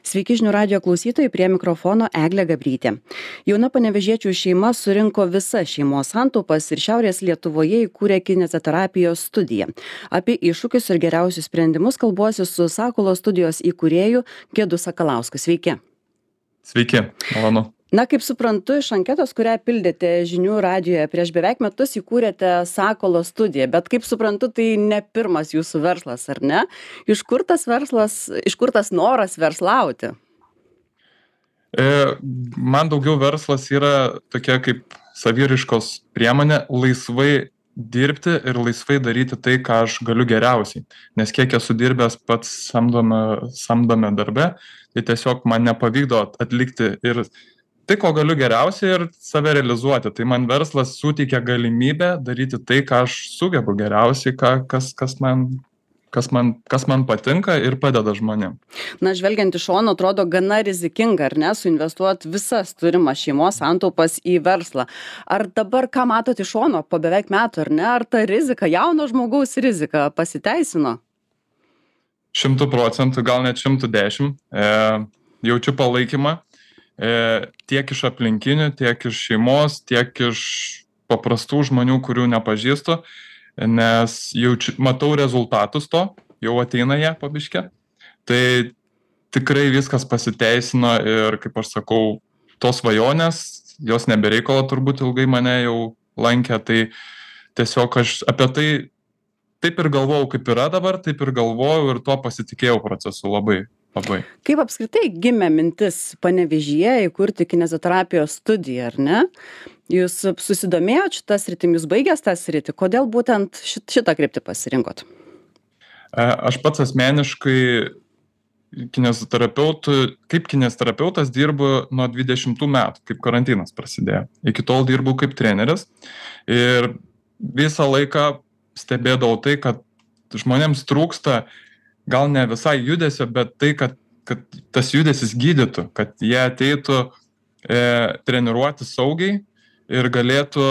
Sveiki žinių radijo klausytojai, prie mikrofono Eglė Gabrytė. Jauna panevėžiečių šeima surinko visas šeimos santaupas ir Šiaurės Lietuvoje įkūrė kineziterapijos studiją. Apie iššūkius ir geriausius sprendimus kalbuosi su Sakalo studijos įkūrėju Gedu Sakalausku. Sveiki. Sveiki, malonu. Na, kaip suprantu, iš anketos, kurią pildėte žinių radijoje, prieš beveik metus įkūrėte Sakalo studiją, bet kaip suprantu, tai ne pirmas jūsų verslas, ar ne? Iš kur tas noras verslauti? Man daugiau verslas yra tokia kaip saviraiškos priemonė laisvai dirbti ir laisvai daryti tai, ką aš galiu geriausiai. Nes kiek esu dirbęs pats samdome darbe, tai tiesiog man nepavykdo atlikti ir tai, ko galiu geriausiai ir save realizuoti. Tai man verslas suteikia galimybę daryti tai, ką aš sugebu geriausiai, kas man patinka ir padeda žmonėm. Na, žvelgiant iš šono, atrodo gana rizikinga, ar ne, suinvestuoti visas turimas šeimos santaupas į verslą. Ar dabar, ką matote iš šono po beveik metų, ar ne, ar ta rizika, jauno žmogaus rizika pasiteisino? 100%, gal net 110%. Jaučiu palaikymą. Tiek iš aplinkinių, tiek iš šeimos, tiek iš paprastų žmonių, kurių nepažįstu, nes matau rezultatus to, jau ateina jie po biškį. Tai tikrai viskas pasiteisino ir, kaip aš sakau, tos svajonės, jos nebereikalo turbūt ilgai mane jau lankė, tai tiesiog aš apie tai taip ir galvojau, kaip yra dabar, taip ir galvojau ir tuo pasitikėjau procesu labai. Kaip apskritai gimė mintis Panevėžyje įkurti kineziterapijos studiją, ar ne? Jūs susidomėjot šitą sritį, jūs baigęs tą sritį, kodėl būtent šitą kryptį pasirinkot? Aš pats asmeniškai kaip kineziterapeutas dirbu nuo 20 metų, kaip karantinas prasidėjo. Iki tol dirbu kaip treneris ir visą laiką stebėdavau tai, kad žmonėms trūksta gal ne visai judesio, bet tai, kad tas judesis gydytų, kad jie ateitų treniruoti saugiai ir galėtų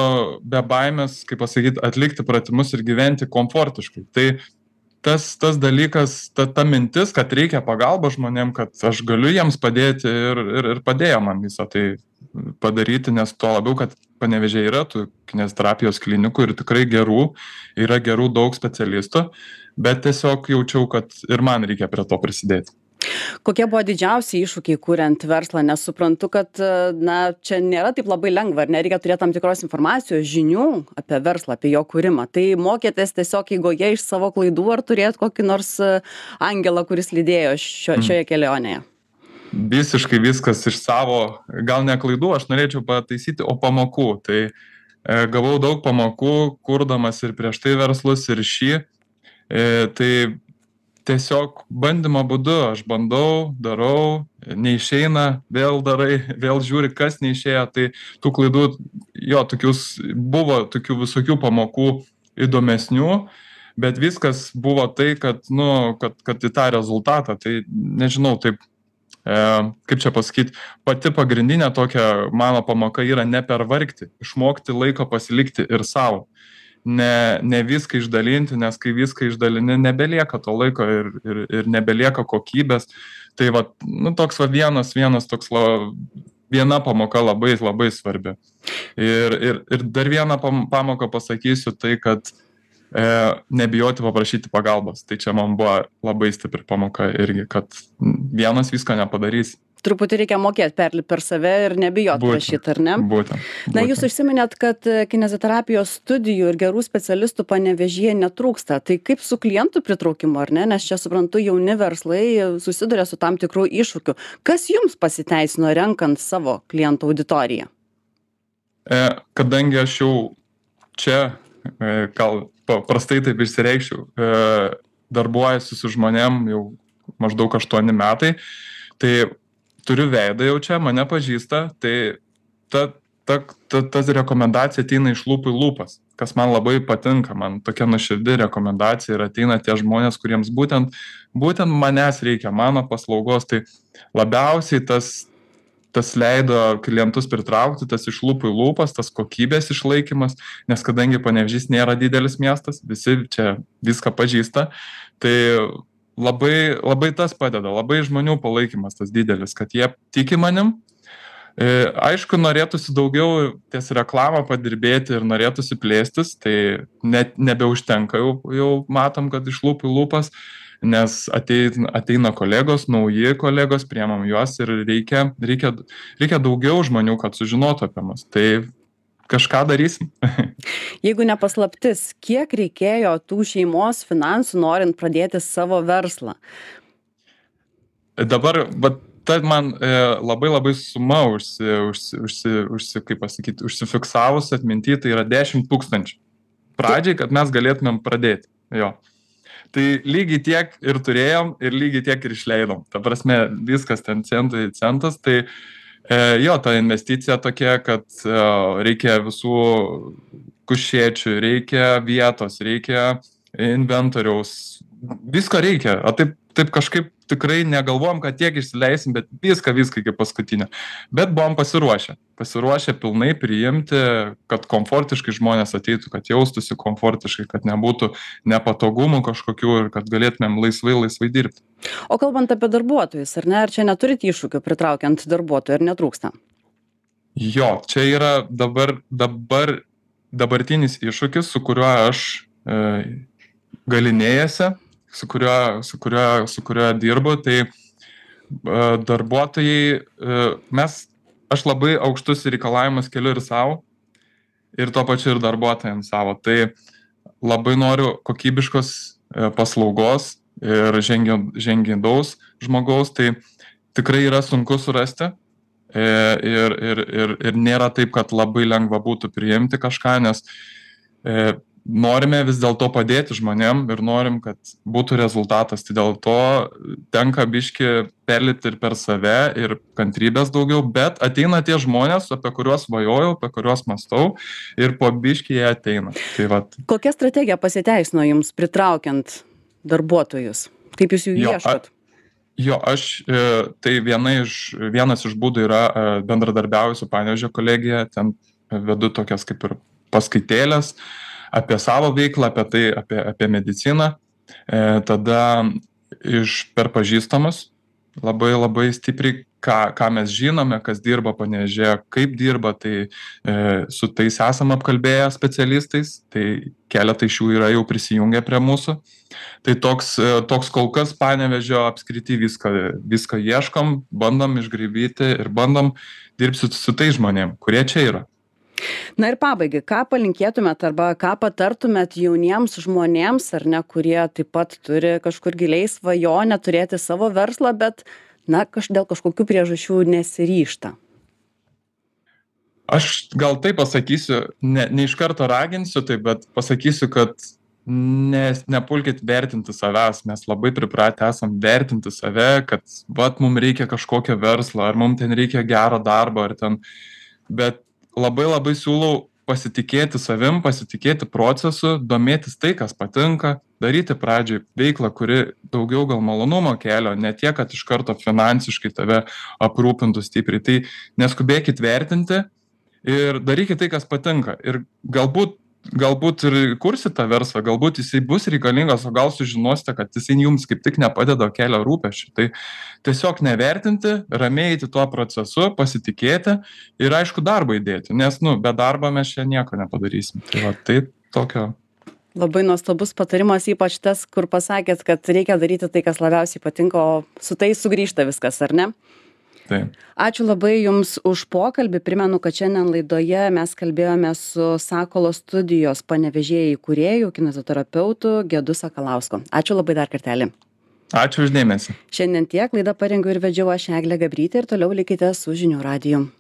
be baimės, kaip pasakyti, atlikti pratimus ir gyventi komfortiškai. Tai tas dalykas, ta mintis, kad reikia pagalba žmonėm, kad aš galiu jiems padėti ir padėjo man visą tai padaryti, nes tuo labiau, kad Panevėžyje yra tų kineziterapijos klinikų ir tikrai yra gerų daug specialistų, bet tiesiog jaučiau, kad ir man reikia prie to prisidėti. Kokie buvo didžiausi iššūkiai kuriant verslą, nes suprantu, kad čia nėra taip labai lengva, ar nereikia turėti tam tikros informacijos, žinių apie verslą, apie jo kūrimą. Tai mokėtės tiesiog eigoje iš savo klaidų, ar turėt kokį nors angelą, kuris lydėjo šioje kelionėje? Visiškai viskas iš savo, gal ne klaidų, aš norėčiau pataisyti, o pamokų. Tai gavau daug pamokų, kurdamas ir prieš tai verslus, ir šį. Tai tiesiog bandymo būdu aš bandau, darau, neišeina, vėl darai, vėl žiūri, kas neišėjo. Tai tų klaidų, buvo tokių visokių pamokų įdomesnių, bet viskas buvo tai, kad į tą rezultatą, tai nežinau, taip, kaip čia pasakyti, pati pagrindinė tokia mano pamoka yra nepervargti, išmokti laiko pasilikti ir savo. Ne viską išdalinti, nes kai viską išdalini, nebelieka to laiko ir nebelieka kokybės. Tai toks viena pamoka labai, labai svarbi. Ir dar vieną pamoką pasakysiu, tai kad nebijoti paprašyti pagalbos. Tai čia man buvo labai stipri pamoka irgi, kad vienas visko nepadarys. Truputį reikia mokėti perlipti per save ir nebijoti prašyti, ar ne? Būtent. Na, jūs užsiminėt, kad kineziterapijos studijų ir gerų specialistų Panevėžyje netrūksta. Tai kaip su klientų pritraukimu, ar ne? Nes čia, suprantu, jauni verslai susiduria su tam tikrų iššūkių. Kas jums pasiteisino renkant savo klientų auditoriją? Kadangi aš jau čia, gal prastai taip išsireikščiau, darbuojasi su žmonėm jau maždaug 8 metai, tai turiu veidą jau čia, mane pažįsta, tai ta rekomendacija ateina iš lūpų į lūpas, kas man labai patinka, man tokia nuoširdi rekomendacija ir ateina tie žmonės, kuriems būtent manęs reikia, mano paslaugos, tai labiausiai tas leido klientus pritraukti, tas iš lūpų į lūpas, tas kokybės išlaikymas, nes kadangi Panevėžys nėra didelis miestas, visi čia viską pažįsta, tai labai tas padeda, labai žmonių palaikymas tas didelis, kad jie tiki manim. Aišku, norėtųsi daugiau ties reklamą padirbėti ir norėtųsi plėstis, tai net nebeužtenka, jau matom, kad iš lūpų į lūpas, nes ateina kolegos, nauji kolegos, priemam juos ir reikia daugiau žmonių, kad sužinotų apie mus. Tai kažką darysim. Jeigu ne paslaptis, kiek reikėjo tų šeimos finansų, norint pradėti savo verslą? Dabar, ta man labai suma kaip pasakyti, užsifiksavus atminty, tai yra 10 000 pradžiai, kad mes galėtumėm pradėti. Jo. Tai lygiai tiek ir turėjom, ir lygiai tiek ir išleidom. Ta prasme, viskas ten centai centas, tai jo, ta investicija tokia, kad reikia visų kušėčių, reikia vietos, reikia inventoriaus, visko reikia. O taip kažkaip tikrai negalvom, kad tiek išsileisim, bet viską iki paskutinio. Bet buvom pasiruošę pilnai priimti, kad komfortiškai žmonės ateitų, kad jaustųsi komfortiškai, kad nebūtų nepatogumų kažkokių ir kad galėtumėm laisvai dirbti. O kalbant apie darbuotojus, ar ne, ar čia neturit iššūkių pritraukiant darbuotojų, ar netrūksta? Jo, čia yra dabartinis iššūkis, su kuriuo aš galinėjasi, su kuriuo dirbu, tai darbuotojai, aš labai aukštus reikalavimus keliu ir savo, ir tuo pačiu ir darbuotojams savo. Tai labai noriu kokybiškos paslaugos ir žingeidaus žmogaus, tai tikrai yra sunku surasti ir nėra taip, kad labai lengva būtų priimti kažką, nes norime vis dėlto padėti žmonėm ir norim, kad būtų rezultatas. Tai dėl to tenka biški perlipti ir per save ir kantrybės daugiau, bet ateina tie žmonės, apie kuriuos svajojau, apie kuriuos mąstau ir po biški jie ateina. Tai vat. Kokia strategija pasiteisino jums pritraukiant darbuotojus? Kaip jūs jų ieškot? Jo, tai vienas iš būdų yra bendradarbiauju su Panevėžio kolegija, ten vedu tokias kaip ir paskaitėlės apie savo veiklą, apie mediciną, tada per pažįstamus labai stipriai, ką mes žinome, kas dirba Panevėžyje, kaip dirba, tai su tais esam apkalbėję specialistais, tai keletai iš jų yra jau prisijungę prie mūsų. Tai toks kol kas Panevėžio apskrity viską ieškom, bandom išgraibyti ir bandom dirbti su tais žmonėm, kurie čia yra. Na ir pabaigai, ką palinkėtumėt arba ką patartumėt jauniems žmonėms, ar ne, kurie taip pat turi kažkur giliai svajonę turėti savo verslą, bet dėl kažkokių priežasčių nesiryžta? Aš gal taip pasakysiu, ne iš karto raginsiu, bet pasakysiu, kad nepulkit vertinti savęs, mes labai pripratę esam vertinti save, kad mums reikia kažkokio verslo, ar mums ten reikia gero darbo, bet labai siūlau pasitikėti savim, pasitikėti procesu, domėtis tai, kas patinka, daryti pradžiai veiklą, kuri daugiau gal malonumo kelio, ne tiek, kad iš karto finansiškai tave aprūpintų stipriai. Tai neskubėkit vertinti ir darykit tai, kas patinka. Ir galbūt ir kursit tą verslą, galbūt jisai bus reikalingas, o gal sužinosite, kad jisai jums kaip tik nepadeda kelio rūpesčių. Tai tiesiog nevertinti, ramiai eiti tuo procesu, pasitikėti ir aišku darbą įdėti, nes be darbo mes čia nieko nepadarysim. Tai tokio. Labai nuostabus patarimas, ypač tas, kur pasakėt, kad reikia daryti tai, kas labiausiai patinka, o su tai sugrįžta viskas, ar ne? Taip. Ačiū labai Jums už pokalbį. Primenu, kad šiandien laidoje mes kalbėjome su Sakalo studijos Panevėžyje įkūrėju, kineziterapeutu Gedu Sakalausku. Ačiū labai dar kartelį. Ačiū už dėmesį. Šiandien tiek, laidą parengiau ir vedžiau aš Eglė Gabrytė ir toliau likite su Žinių radiju.